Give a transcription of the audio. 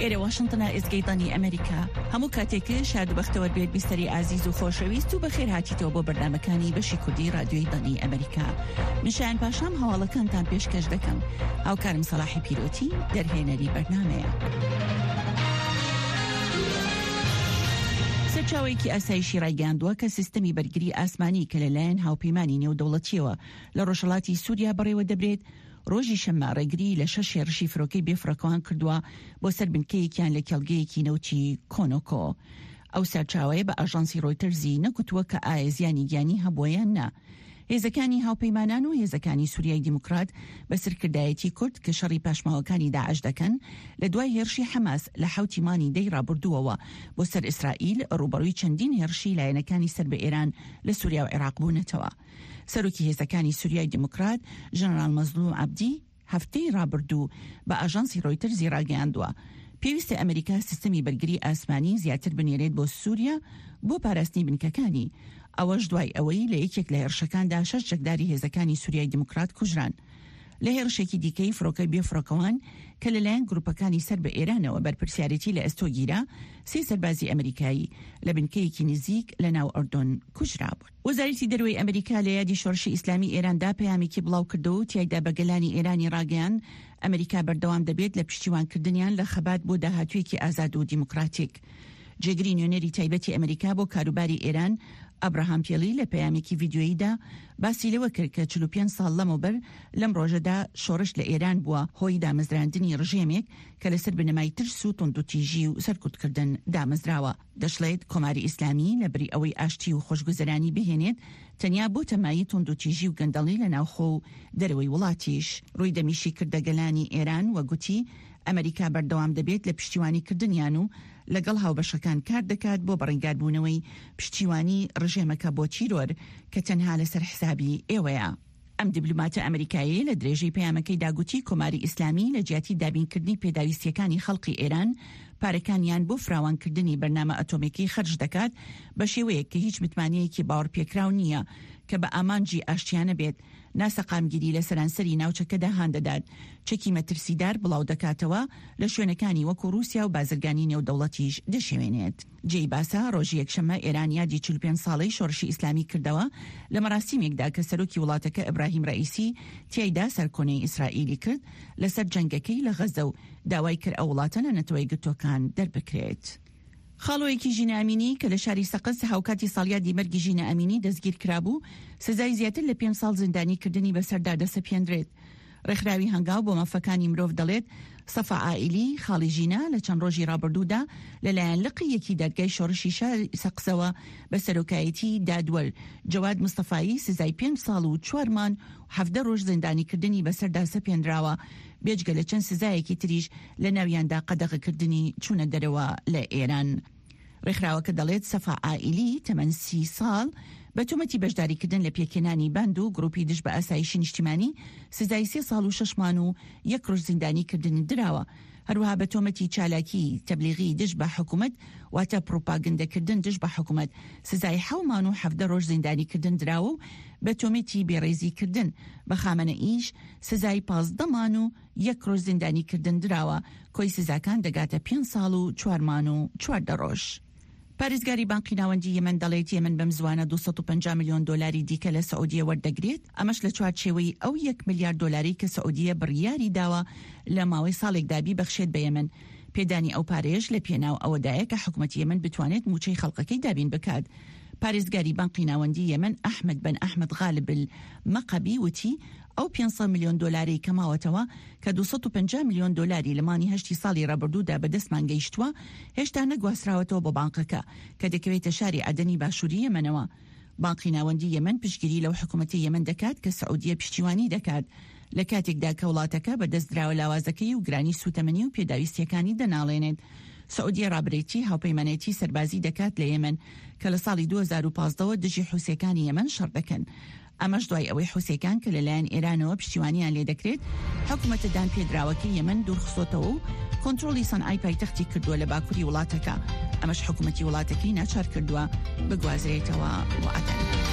ئێرە واشنتنە ئێزگەی دەنگی ئەمریکا. هەموو کاتێک شاد و بەختەوەر بێت بیسەری ئازیز و خۆشەویست و بەخێر هاتیتەوە بۆ بەرنامەکانی بەشی کوردی رادیۆی دەنگی ئەمریکا. من شایان پاشام هەواڵەکانتان پێشکەش دەکەم. هاوکارم سەڵاحی پیرۆتی دەرهێنەری بەرنامەیە. سەرچاوەیەکی ئاسایشی ڕایگەیاندووە کە سیستەمی بەرگری ئاسمانی کە لەلایەن هاوپەیمانی نێودەوڵەتیەوە لە ڕۆژهەڵاتی سووریا بەڕێوە دەبرێت، ڕۆژی شەممە ڕێگریی لە شەش هێڕشی فرۆکەی بێفڕۆکەوان کردووە بۆ سەر بنکەیەکیان لە کێڵگەیەکی نەوتی کۆنۆکۆ. ئەو سەرچاوەیە بە ئاژانسی ڕۆیتەرزی نەگوتووە کە ئایا زیانی گیانی هەبووە یان نا. هێزەکانی هاوپەیمانان و هێزەکانی سوریای دیموکرات بە سەرکردایەتی کورد کە شەڕی پاشماوەکانی داعش دەکەن، لە دوای هێڕشی حەماس لە حەوتی مانی دەی ڕابردووەوە بۆ سەر ئیسرائیل، ڕووبەڕووی چەندین هێڕشی لایەنەکانی سەر بە ئێران لە سوریا و عێراق بوونەتەوە. سەرۆکی هێزەکانی سوریای دیموکرات، ژەنەراڵ مەزلوم عەبدی، هەفتەی ڕابردوو بە ئاژانسی ڕۆیتەرزی ڕاگەیاندووە، پێویستە ئەمریکا سیستەمی بەرگری ئاسمانی زیاتر بنێرێت بۆ سوریا بۆ پاراستنی بنکەکانی، ئەوەش دوای ئەوەی لە یەکێک لە هێڕشەکاندا شەش چەکداری هێزەکانی سوریای دیموکرات کوژران. لە هێڕشێکی دیکەی فڕۆکەی بێفڕۆکەوان کە لەلایەن گروپەکانی سەر بە ئێرانەوە بەرپرسیارێتی لە ئەستۆ گیرا، سێ سەربازی ئەمریکایی لە بنکەیەکی نزیک لە ناو ئەردۆن کوژرابوون. وەزارەتی دەرەوەی ئەمریکا لە یادی شۆڕشی ئیسلامی ئێراندا پەیامێکی بڵاوکردەوە و تیایدا بە گەلانی ئێرانی ڕاگەیاند، ئەمریکا بەردەوام دەبێت لە پشتیوانکردنیان لە خەبات بۆ داهاتوویەکی ئازاد و دیموکراتیک. جێگری نوێنەری تایبەتی ئەمریکا بۆ کاروباری ئێران، ئەبراهام پێلی لە پەیامێکی ڤیدیۆییدا باسی لەوە کرد کە 45 ساڵ لەمەوبەر لەم ڕۆژەدا شۆڕش لە ئێران بووە هۆی دامەزراندنی ڕژێمێک کە لەسەر بنەمای ترس و توندوتیژی و سەرکوتکردن دامەزراوە. دەشڵێت، کۆماری ئیسلامی لە بری ئەوەی ئاشتی و خۆشگوزەرانی بهێنێت، تەنیا بۆتە مایەی توندوتیژی و گەندەڵی لە ناوخۆ و دەرەوەی وڵاتیش. ڕووی دەمیشی کردە گەلانی ئێران و گوتی، ئەمەریکا بەردەوام دەبێت لە پشتیوانیکردنیان و لەگەڵ هاوبەشەکان کار دەکات بۆ بەڕەنگاربوونەوەی پشتیوانی ڕژێمەکە بۆ تیرۆر کە تەنها لەسەر حسابی ئێوەیە. ئەم دیبلۆماتە ئەمریکایەیە لە درێژەی پەیامەکەیدا گوتی، کۆماری ئیسلامی لە جیاتی دابینکردنی پێداویستییەکانی خەڵقی ئێران، پارەکانیان بۆ فراوانکردنی بەرنامە ئەتۆمیەکەی خەرج دەکات بە شێوەیەک کە هیچ متمانەیەکی باوەڕپێکراو نییە کە بە ئامانجی ئاشتیانە بێت ناسەقامگیری لە سەرانسەری ناوچەکەدا هاندەدات، چەکی مەترسیدار بڵاودەکاتەوە لە شوێنەکانی وەکو ڕووسیا و بازرگانی نێودەوڵەتیش دەشێوێنێت. جێی باسە، ڕۆژی یەکشەممە ئێران یادی 45 ساڵەی شۆڕشی ئیسلامی کردەوە لە مەراسیمێکدا کە سەرۆکی وڵاتەکە ئیبراهیم ڕەئیسی تیایدا سەرکۆنەی ئیسرائیلی کرد لەسەر جەنگەکەی لە غەزە و داوای کرد ئەو وڵاتە لە نەتەوە یەکگرتووەکان دەربکرێت. خاڵۆیەکی ژینا ئەمینی کە لە شاری سەقز هاوکاتی ساڵیادی مەرگی ژینا ئەمینی دەستگیر کرابوو، سزای زیاتر لە پێنج ساڵ زیندانیکردنی بەسەردا دەسەپێندرێت. ڕێکخراوی هەنگاو بۆ مافەکانی مرۆڤ دەڵێت، سەفا عائیلی، خاڵی ژینا لە چەند ڕۆژی ڕابردوودا لەلایەن لقی یەکی دادگای شۆڕشی شاری سەقزەوە بە سەرۆکایەتی دادوەر جەواد مستەفایی سزای پێنج ساڵ و چوار مانگ و 17 ڕۆژ زیندانیکردنی بەسەردا سەپێنراوە، بێجگە لە چەند سزایەکی تریش لە ناویاندا قەدەغەکردنی چوونە دەرەوە لە ئێران. ڕێکخراوەکە دەڵێت سەفا عائیلی تەمەن سی ساڵ بە تۆمەتی بەشداریکردن لە پێکهێنانی باند و گروپی دژ بە ئاسایشی نیشتیمانی سزای سێ ساڵ و شەش مان و یەک ڕۆژ زیندانیکردنی دراوە. هەروەها بە تۆمەتی چالاکی تەبلیغی دژ بە حکومەت واتە پڕوپاگندەکردن دژ بە حکومەت سزای حەو مان و 17 ڕۆژ زیندانیکردن دراوە و بە تۆمەتی بێڕێزیکردن بە خامەنەئیش سزای 15 مان و یەک ڕۆژ زیندانیکردن دراوە، کۆی سزاکان دەگاتە پێنج ساڵ و چوار مان و 14 ڕۆژ. پارێزگاری بانقی ناوەندی یەمەن دەڵێت، یەمەن بەم زووانە 250 ملیۆن دۆلاری دیکە لە سعودیە وەردەگرێت، ئەمەش لە چوارچێوەی ئەو یەک ملیار دۆلارەی کە سعودیە بڕیاری داوە لە ماوەی ساڵێکدا بیبەخشێت بە یەمەن. پێدانی ئەو پارەیەش لە پێناو ئەوەدایە کە حکومەتی یەمەن بتوانێت مووچەی خەڵکەکەی دابین بکات. پارێزگاری بانقی ناوەندی یەمەن ئەحمەد بن ئەحمەد غالب المەقەبی وتی، ئەو 500 ملیۆن دۆلارەی کە ماوەتەوە، کە 250 ملیۆن دۆلاری لە مانگی هەشتی ساڵی رابردوودا بەدەستمان گەیشتووە، هێشتا نەگواستراوەتەوە بۆ بانقەکە، کە دەکەوێتە شاری عەدەنی باشووری یەمەنەوە. بانقی ناوەندی یەمەن پشتگیری لەو حکومەتەی یەمەن دەکات کە سعودیە پشتیوانی دەکات، لە کاتێکدا کە وڵاتەکە بەدەست دراوە لاوازەکەی و گرانی سووتەمەنی و پێداویستییەکانی دەناڵێنێت. سعودیە ڕابەرێتی هاوپەیمانێتی سەربازی دەکات لە یەمەن کە لە ساڵی 2015 ەوە دژی حوسییەکانی یەمەن شەڕ دەکەن. ئەمەش دوای ئەوەی حوسییەکان کە لەلایەن ئێرانەوە پشتیوانیان لێدەکرێت، حکومەتە دانپێدراوەکەی یەمەن دوورخستۆتەوە و کۆنترۆڵی سەنعای پایتەختی کردووە لە باکوری وڵاتەکە، ئەمەش حکومەتی وڵاتەکەی ناچار کردووە بگوازرێتەوە بۆ عەدەن.